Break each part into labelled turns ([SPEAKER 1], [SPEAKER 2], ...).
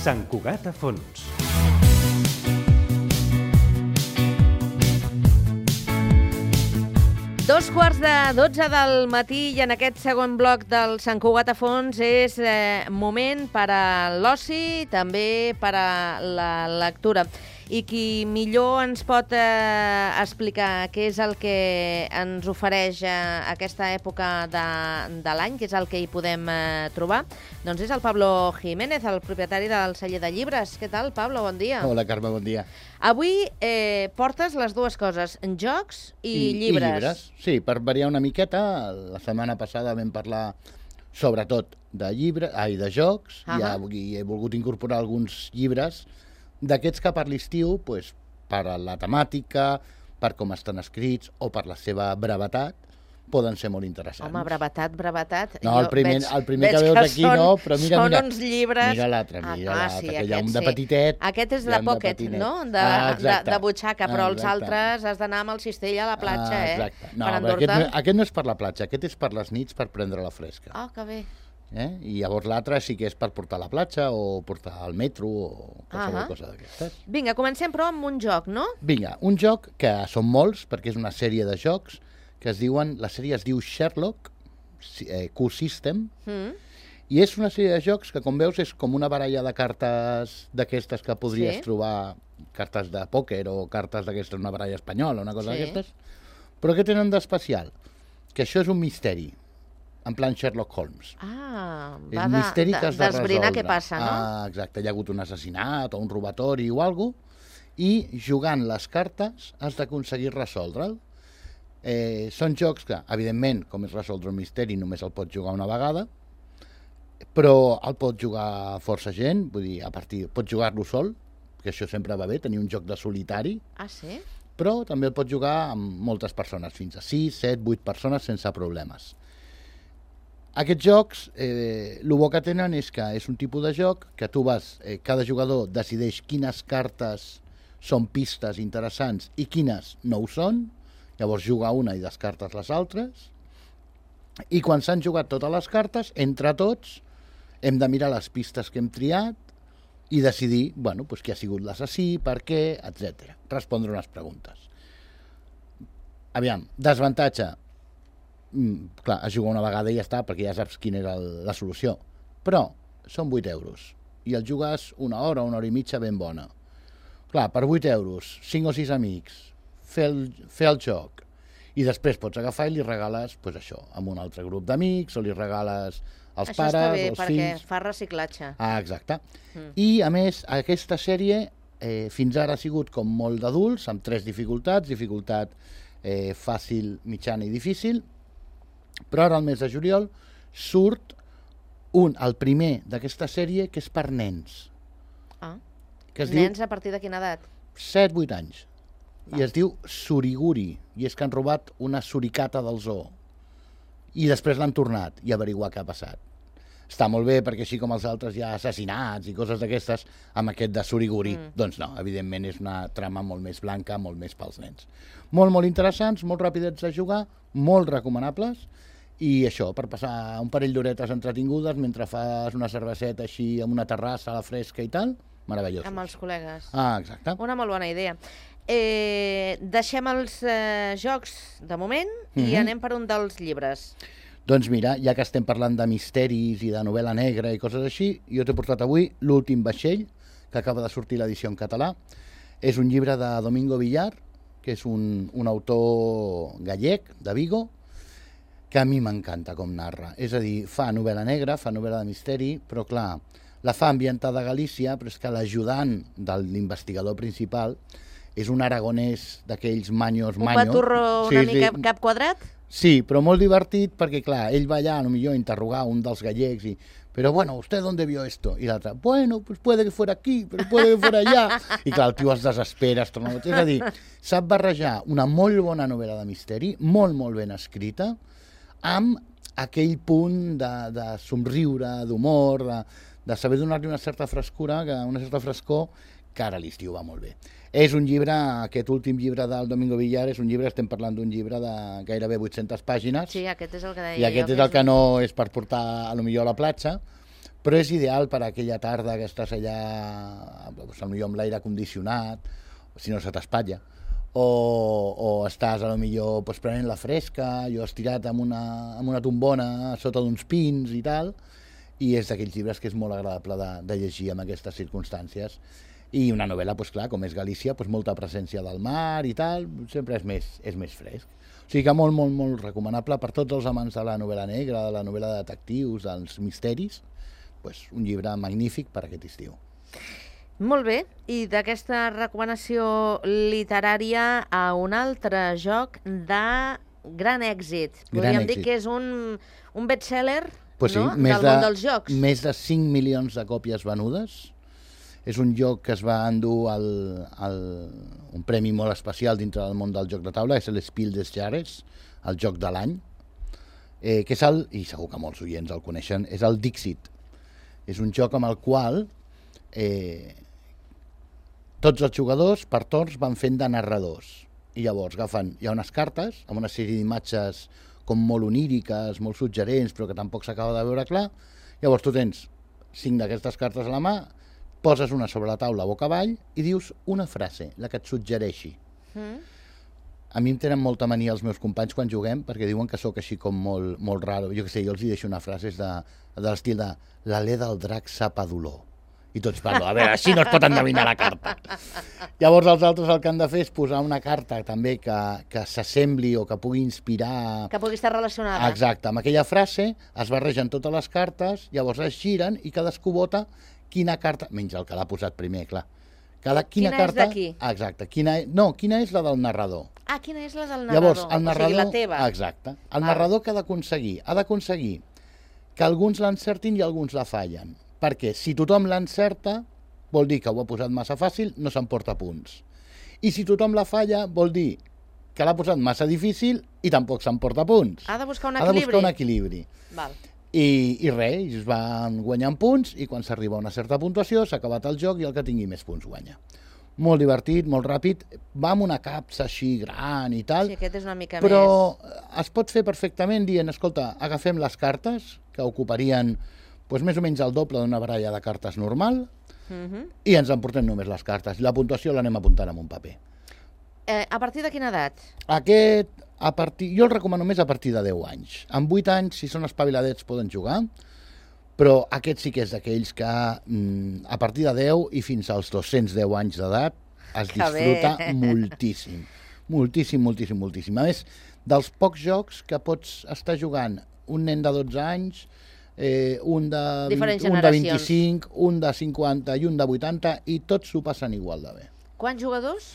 [SPEAKER 1] Sant Cugat a fons.
[SPEAKER 2] Dos quarts de 12 del matí i en aquest segon bloc del Sant Cugat a fons és moment per a l'oci, també per a la lectura. I qui millor ens pot explicar què és el que ens ofereix aquesta època de l'any, què és el que hi podem trobar, doncs és el Pablo Jiménez, el propietari del celler de llibres. Què tal, Pablo? Bon dia.
[SPEAKER 3] Hola, Carme, bon dia.
[SPEAKER 2] Avui portes les dues coses, jocs i llibres.
[SPEAKER 3] I llibres, sí, per variar una miqueta. La setmana passada vam parlar sobretot de jocs, i avui he volgut incorporar alguns llibres d'aquests que per l'estiu, per la temàtica, per com estan escrits o per la seva brevetat, poden ser molt interessants.
[SPEAKER 2] Home, brevetat.
[SPEAKER 3] No, el primer que veus aquí no, però mira,
[SPEAKER 2] uns llibres...
[SPEAKER 3] Mira l'altre, que hi ha un de petitet.
[SPEAKER 2] Aquest és de pocket, no? De butxaca, però els altres has d'anar amb el cistell a la platja,
[SPEAKER 3] Exacte. No, però aquest no és per la platja, aquest és per les nits, per prendre la fresca.
[SPEAKER 2] Ah, que bé.
[SPEAKER 3] I llavors l'altre sí que és per portar a la platja o portar al metro o qualsevol cosa d'aquestes.
[SPEAKER 2] Vinga, comencem però amb un joc, no?
[SPEAKER 3] Vinga, un joc que són molts, perquè és una sèrie de jocs que la sèrie es diu Sherlock Q-System, i és una sèrie de jocs que, com veus, és com una baralla de cartes d'aquestes que podries trobar, cartes de pòquer o cartes d'aquestes, una baralla espanyola, una cosa d'aquestes, però què tenen d'especial? Que això és un misteri, en plan Sherlock Holmes.
[SPEAKER 2] Va d'esbrinar què passa, no?
[SPEAKER 3] Exacte, hi ha hagut un assassinat o un robatori o alguna cosa, i jugant les cartes has d'aconseguir resoldre'l. Són jocs que, evidentment, com és resoldre un misteri, només el pots jugar una vegada, però el pot jugar força gent, vull dir, pots jugar-lo sol, que això sempre va bé, tenir un joc de solitari.
[SPEAKER 2] Ah, sí?
[SPEAKER 3] Però també el pots jugar amb moltes persones, fins a 6, 7, 8 persones sense problemes. Aquests jocs, el bo que tenen és que és un tipus de joc que tu cada jugador decideix quines cartes són pistes interessants i quines no ho són, llavors juga una i descartes les altres, i quan s'han jugat totes les cartes, entre tots, hem de mirar les pistes que hem triat i decidir qui ha sigut l'assassí, per què, etc. Respondre unes preguntes. Aviam, desavantatge. Clar, es juga una vegada i ja està, perquè ja saps quina era la solució. Però són 8 euros i el jugues una hora i mitja ben bona. Clar, per 8 euros, 5 o 6 amics, fer el joc, i després pots agafar i li regales això, amb un altre grup d'amics, o li regales als pares,
[SPEAKER 2] als fills. Això està bé, perquè fa reciclatge.
[SPEAKER 3] Exacte. I, a més, aquesta sèrie fins ara ha sigut com molt d'adults, amb 3 dificultats, dificultat fàcil, mitjana i difícil, però ara, al mes de juliol, surt el primer d'aquesta sèrie, que és per nens.
[SPEAKER 2] Nens a partir de quina edat?
[SPEAKER 3] 7-8 anys. I es diu Suriguri, i és que han robat una suricata del zoo. I després l'han tornat i averiguar què ha passat. Està molt bé, perquè així com els altres hi ha assassinats i coses d'aquestes, amb aquest de Suriguri, doncs no, evidentment és una trama molt més blanca, molt més pels nens. Molt, molt interessants, molt ràpids de jugar, molt recomanables, i això, per passar un parell d'horetes entretingudes mentre fas una cerveseta així amb una terrassa a la fresca i tal, meravellosos.
[SPEAKER 2] Amb els col·legues.
[SPEAKER 3] Exacte.
[SPEAKER 2] Una molt bona idea. Deixem els jocs de moment i anem per un dels llibres.
[SPEAKER 3] Doncs mira, ja que estem parlant de misteris i de novel·la negra i coses així, jo t'he portat avui L'últim vaixell, que acaba de sortir l'edició en català. És un llibre de Domingo Villar, que és un autor gallec, de Vigo, que a mi m'encanta com narra. És a dir, fa novel·la negra, fa novel·la de misteri, però clar, la fa ambientada a Galícia, però és que l'ajudant de l'investigador principal és un aragonès d'aquells manyos.
[SPEAKER 2] Un paturro una mica cap quadrat?
[SPEAKER 3] Sí, però molt divertit, perquè clar, ell va allà potser a interrogar un dels gallecs i però bueno, ¿usted dónde vio esto? I l'altre, bueno, pues puede que fuera aquí, pero puede que fuera allá. I clar, el tio es desespera, és a dir, sap barrejar una molt bona novel·la de misteri, molt, molt ben escrita, amb aquell punt de somriure, d'humor, de saber donar-li una certa frescura, una certa frescor, que ara a l'estiu va molt bé. És un llibre, aquest últim llibre del Domingo Villar, és un llibre, estem parlant d'un llibre de gairebé 800 pàgines.
[SPEAKER 2] Sí, aquest és el que deia
[SPEAKER 3] jo. I aquest és el que no és per portar, potser a la platja, però és ideal per a aquella tarda que estàs allà, potser amb l'aire condicionat, si no se t'espatlla, o estàs a lo millor prenent la fresca, jo estirat amb una tombona sota d'uns pins i tal, i és d'aquells llibres que és molt agradable de llegir en aquestes circumstàncies. I una novel·la, clar, com és Galícia, molta presència del mar i tal, sempre és més fresc. O sigui que molt, molt, molt recomanable per tots els amants de la novel·la negra, de la novel·la de detectius, dels misteris, un llibre magnífic per aquest estiu.
[SPEAKER 2] Molt bé, i d'aquesta recomanació literària a un altre joc de gran èxit. Podríem dir que és un best-seller del món dels jocs.
[SPEAKER 3] Més de 5 milions de còpies venudes. És un joc que es va endur un premi molt especial dintre del món del joc de taula, és l'Spiel des Jahres, el joc de l'any, que és i segur que molts oients el coneixen, és el Dixit. És un joc amb el qual tots els jugadors per torns van fent de narradors. I llavors hi ha unes cartes amb una sèrie d'imatges com molt oníriques, molt suggerents, però que tampoc s'acaba de veure clar. Llavors tu tens 5 d'aquestes cartes a la mà, poses una sobre la taula boca avall i dius una frase, la que et suggereixi. A mi em tenen molta mania els meus companys quan juguem perquè diuen que sóc així com molt raro. Jo què sé, jo els deixo una frase de l'estil de l'alè del drac sap a dolor. I tots parlo, a veure, així no es pot endevinar la carta. Llavors els altres el que han de fer és posar una carta també que s'assembli o que pugui inspirar...
[SPEAKER 2] Que pugui estar relacionada.
[SPEAKER 3] Exacte, amb aquella frase es barregen totes les cartes, llavors es giren i cadascú vota quina carta... Menys el que l'ha posat primer, clar. Quina
[SPEAKER 2] és d'aquí?
[SPEAKER 3] Exacte. Quina és la del narrador.
[SPEAKER 2] Ah, quina és la del narrador?
[SPEAKER 3] Llavors, el narrador...
[SPEAKER 2] O sigui, la teva.
[SPEAKER 3] Exacte. El narrador que ha d'aconseguir que alguns l'encertin i alguns la fallen. Perquè si tothom l'encerta, vol dir que ho ha posat massa fàcil, no s'emporta punts. I si tothom la falla, vol dir que l'ha posat massa difícil i tampoc s'emporta punts.
[SPEAKER 2] Ha de buscar un equilibri.
[SPEAKER 3] Ha de buscar un equilibri.
[SPEAKER 2] Val.
[SPEAKER 3] I res, es van guanyant punts i quan s'arriba a una certa puntuació s'ha acabat el joc i el que tingui més punts guanya. Molt divertit, molt ràpid, va amb una capsa així gran i tal,
[SPEAKER 2] sí, aquest és una mica
[SPEAKER 3] però es pot fer perfectament dient, escolta, agafem les cartes, que ocuparien més o menys el doble d'una baralla de cartes normal, i ens emportem només les cartes. La puntuació l'anem apuntant en un paper.
[SPEAKER 2] A partir de quina edat?
[SPEAKER 3] Jo el recomano més a partir de 10 anys. Amb 8 anys, si són espaviladets, poden jugar, però aquest sí que és d'aquells que a partir de 10 i fins als 210 anys d'edat es disfruta moltíssim. Moltíssim, moltíssim, moltíssim. A més, dels pocs jocs que pots estar jugant un nen de 12 anys, un de 25, un de 50 i un de 80, i tots s'ho passen igual de bé.
[SPEAKER 2] Quants jugadors?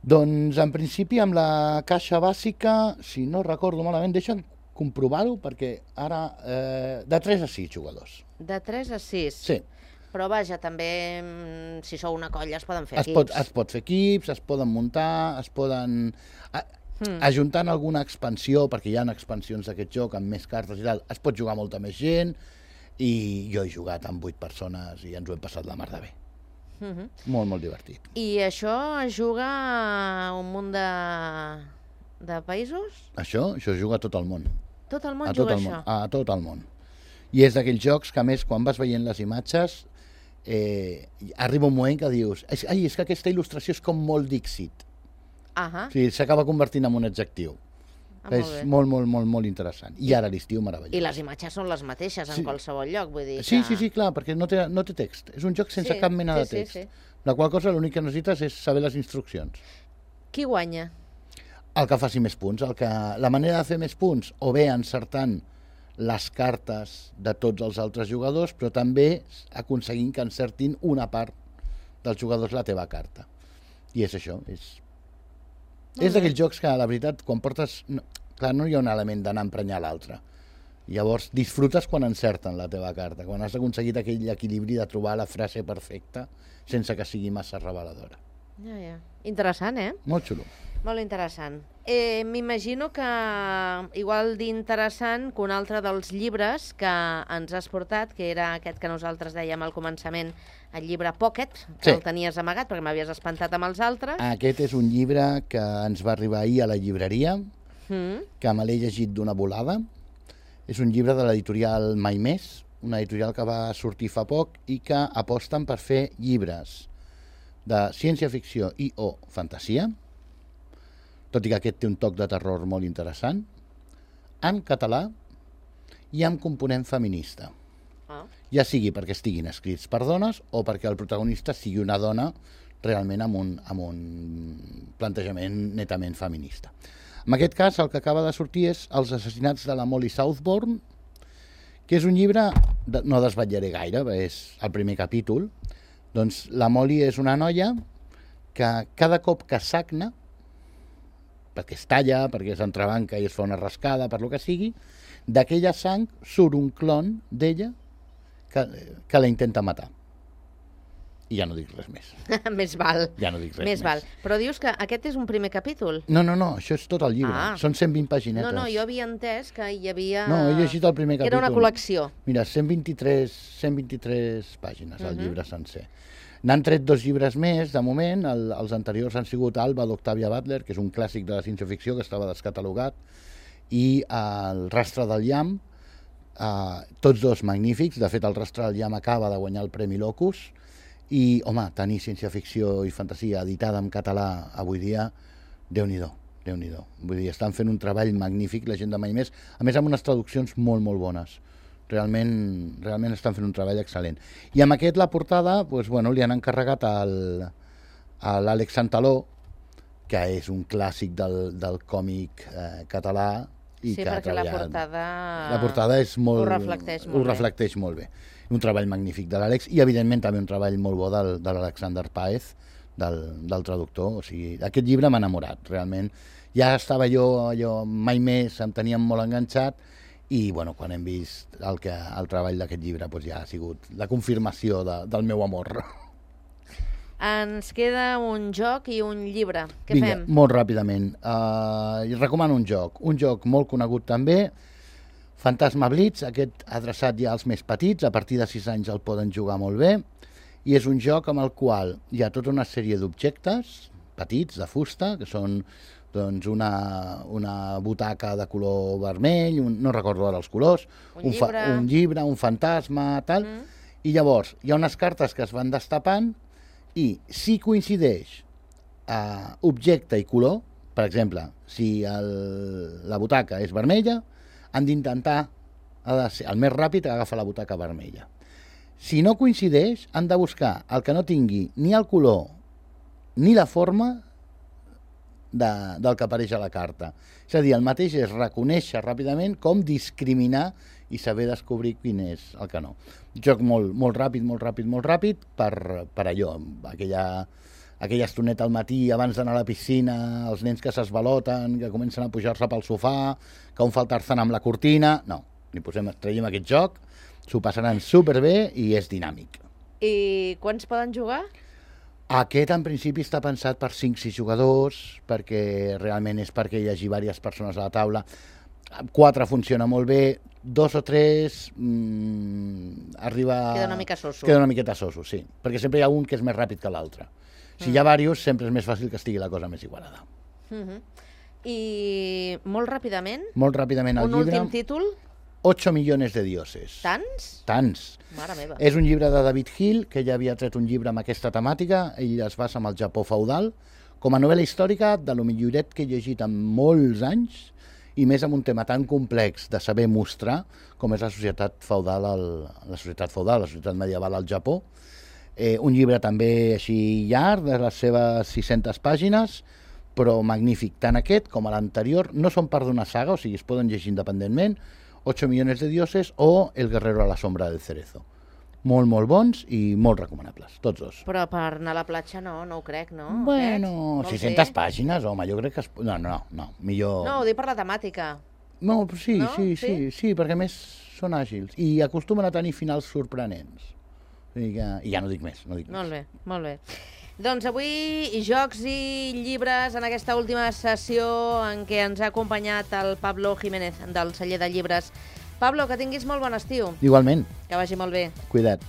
[SPEAKER 3] Doncs, en principi, amb la caixa bàsica, si no recordo malament, deixa'm comprovar-ho, perquè ara... de 3 a 6 jugadors.
[SPEAKER 2] De 3 a 6?
[SPEAKER 3] Sí.
[SPEAKER 2] Però vaja, també, si sou una colla, es poden fer equips.
[SPEAKER 3] Es pot fer equips, es poden muntar, es poden... Ajuntant alguna expansió, perquè hi ha expansions d'aquest joc amb més cartes i tal, es pot jugar molta més gent, i jo he jugat amb 8 persones i ens ho hem passat la mar de bé. Molt, molt divertit.
[SPEAKER 2] I això es juga a un munt de països?
[SPEAKER 3] Això es juga a tot el món.
[SPEAKER 2] Tot el món juga això?
[SPEAKER 3] A tot el món. I és d'aquells jocs que, a més, quan vas veient les imatges, arriba un moment que dius és que aquesta il·lustració és com molt Dixit. O sigui, s'acaba convertint en un adjectiu. És molt, molt, molt, molt interessant. I ara l'estiu meravellós.
[SPEAKER 2] I les imatges són les mateixes en qualsevol lloc, vull dir que...
[SPEAKER 3] Sí, clar, perquè no té text. És un joc sense cap mena de text. La qual cosa l'únic que necessites és saber les instruccions.
[SPEAKER 2] Qui guanya?
[SPEAKER 3] El que faci més punts. La manera de fer més punts, o bé encertant les cartes de tots els altres jugadors, però també aconseguint que encertin una part dels jugadors la teva carta. I és això, és d'aquells jocs que, la veritat, quan portes... Clar, no hi ha un element d'anar a emprenyar l'altre. Llavors, disfrutes quan encerten la teva carta, quan has aconseguit aquell equilibri de trobar la frase perfecta sense que sigui massa reveladora.
[SPEAKER 2] Ja. Interessant,
[SPEAKER 3] Molt xulo.
[SPEAKER 2] Molt interessant. M'imagino que, igual d'interessant, que un altre dels llibres que ens has portat, que era aquest que nosaltres dèiem al començament, el llibre Pocket, que el tenies amagat perquè m'havies espantat amb els altres.
[SPEAKER 3] Aquest és un llibre que ens va arribar ahir a la llibreria, que me l'he llegit d'una volada. És un llibre de l'editorial Mai Més, una editorial que va sortir fa poc i que aposten per fer llibres de ciència-ficció i o fantasia, tot i que aquest té un toc de terror molt interessant, en català i amb component feminista. Ja sigui perquè estiguin escrits per dones o perquè el protagonista sigui una dona realment amb un plantejament netament feminista. En aquest cas, el que acaba de sortir és Els assassinats de la Molly Southbourne, que és un llibre, no desvetllaré gaire, és el primer capítol. Doncs la Molly és una noia que cada cop que sagna, perquè es talla, perquè s'entrebanca i es fa una rascada, per lo que sigui, d'aquella sang surt un clon d'ella que la intenta matar. I ja no dic res més.
[SPEAKER 2] Més val.
[SPEAKER 3] Ja no dic res
[SPEAKER 2] més. Val. Però dius que aquest és un primer capítol?
[SPEAKER 3] No, això és tot el llibre. Són 120 paginetes.
[SPEAKER 2] No, jo havia entès que hi havia...
[SPEAKER 3] No, he llegit el primer capítol.
[SPEAKER 2] Era una col·lecció.
[SPEAKER 3] Mira, 123 pàgines, el llibre sencer. N'han tret 2 llibres més, de moment. Els anteriors han sigut Alba, d'Octavia Butler, que és un clàssic de la ciència-ficció que estava descatalogat, i El rastre del llamp, tots 2 magnífics. De fet, El rastre del llamp acaba de guanyar el Premi Locus, i, home, tenir ciència-ficció i fantasia editada en català avui dia, Déu-n'hi-do, Déu-n'hi-do. Vull dir, estan fent un treball magnífic, la gent de Mai Més, a més amb unes traduccions molt, molt bones. Realment estan fent un treball excel·lent. I amb aquest, la portada, doncs, bueno, li han encarregat a l'Àlex Santaló, que és un clàssic del còmic català. I
[SPEAKER 2] sí,
[SPEAKER 3] que
[SPEAKER 2] perquè la
[SPEAKER 3] portada és molt,
[SPEAKER 2] ho
[SPEAKER 3] reflecteix molt bé. Un treball magnífic de l'Àlex i, evidentment, també un treball molt bo de l'Alexander Páez, del traductor. O sigui, aquest llibre m'ha enamorat, realment. Ja estava allò Mai Més, em teníem molt enganxat i, bueno, quan hem vist el treball d'aquest llibre, doncs ja ha sigut la confirmació del meu amor.
[SPEAKER 2] Ens queda un joc i un llibre. Què fem?
[SPEAKER 3] Molt ràpidament. Recomano un joc molt conegut també, Fantasma Blitz, aquest adreçat ja als més petits, a partir de 6 anys el poden jugar molt bé, i és un joc amb el qual hi ha tota una sèrie d'objectes petits, de fusta, que són doncs, una butaca de color vermell, no recordo ara els colors, un llibre, un fantasma, tal, i llavors hi ha unes cartes que es van destapant i si coincideix objecte i color, per exemple, si la butaca és vermella, han d'intentar, ha de ser el més ràpid, agafar la butaca vermella. Si no coincideix, han de buscar el que no tingui ni el color ni la forma del que apareix a la carta. És a dir, el mateix és reconèixer ràpidament com discriminar i saber descobrir quin és el que no. Un joc molt ràpid per allò, aquella estoneta al matí abans d'anar a la piscina, els nens que s'esvaloten, que comencen a pujar-se pel sofà, que un fa el tarzan amb la cortina... No, traiem aquest joc, s'ho passaran superbé i és dinàmic.
[SPEAKER 2] I quants poden jugar?
[SPEAKER 3] Aquest, en principi, està pensat per 5-6 jugadors, perquè realment és perquè hi hagi diverses persones a la taula. 4 funciona molt bé, 2 o 3 arriba...
[SPEAKER 2] Queda una mica soso.
[SPEAKER 3] Queda una miqueta soso, sí, perquè sempre hi ha un que és més ràpid que l'altre. Si hi ha diversos, sempre és més fàcil que estigui la cosa més igualada.
[SPEAKER 2] I molt ràpidament?
[SPEAKER 3] Molt ràpidament el llibre.
[SPEAKER 2] Un últim títol?
[SPEAKER 3] 8 millones de dioses.
[SPEAKER 2] Tants?
[SPEAKER 3] Tants.
[SPEAKER 2] Mare meva.
[SPEAKER 3] És un llibre de David Hill, que ja havia tret un llibre amb aquesta temàtica. Ell es basa en el Japó feudal, com a novel·la històrica de lo milloret que he llegit en molts anys, i més amb un tema tan complex de saber mostrar com és la societat feudal, la societat medieval al Japó. Un llibre també així llarg, de les seves 600 pàgines, però magnífic. Tant aquest com l'anterior no són part d'una saga, o sigui, es poden llegir independentment, 8 millones de dioses o El guerrero a la sombra del cerezo. Molt bons i molt recomanables, tots 2.
[SPEAKER 2] Però per anar a la platja no ho crec, no?
[SPEAKER 3] Bueno, 600 pàgines, home, jo crec que... No, millor...
[SPEAKER 2] No, ho dic per la temàtica.
[SPEAKER 3] No, sí, perquè més són àgils i acostumen a tenir finals sorprenents. I ja no dic més.
[SPEAKER 2] Molt bé. Doncs avui jocs i llibres en aquesta última sessió en què ens ha acompanyat el Pablo Jiménez del celler de llibres. Pablo, que tinguis molt bon estiu.
[SPEAKER 3] Igualment.
[SPEAKER 2] Que vagi molt bé.
[SPEAKER 3] Cuida't.